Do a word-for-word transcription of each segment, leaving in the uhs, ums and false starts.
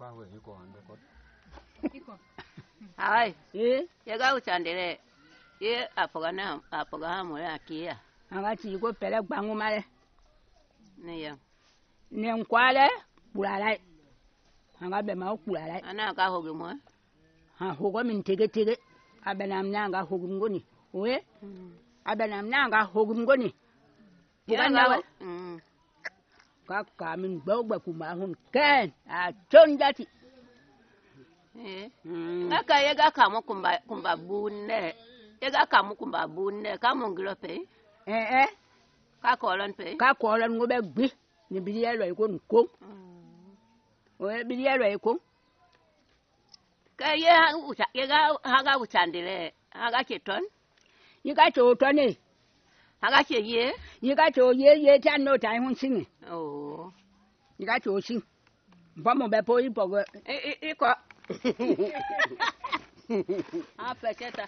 qua về iko ande kot iko ai eh ya ga uchandele ye apogana apoga mo ya kia anga ti ko pele gbangu male ne ya ne nkwale bulala anga be ma kulala ana ka hoge mo ha hogo min tege tege abenam nanga hogum ngoni we abenam nanga hogum ngoni buganda we ka ka min gbogba kuma hun ken a ton dati eh aka ye ga ka mo kumba kumba bunne ye ga ka mo kumba bunne ka mo ngiro pe eh eh ka ko lon pe ka ko lon ngo be gbi ni bi ye lo iko nko we bi ye lo iko ka ye ucha ye ga ha ga uchandile ha ga cheton yi ga cho to ni ha ga che ye yi ga cho ye ye tan no tai hun sin oh yi ga cho sin ba mo be po yi po e e ko a pecheta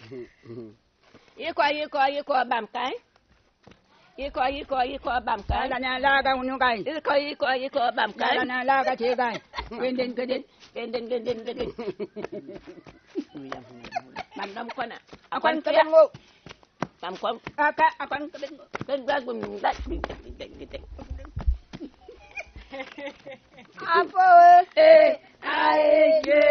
iko iko iko bam kai iko iko iko bam kai la na la ga unu kai iko iko iko bam kai la na la ga che kai genden genden genden genden genden bam dam kona akwan ka bengo bam kon aka akwan ka bengo den ba gum da apo eh ai ye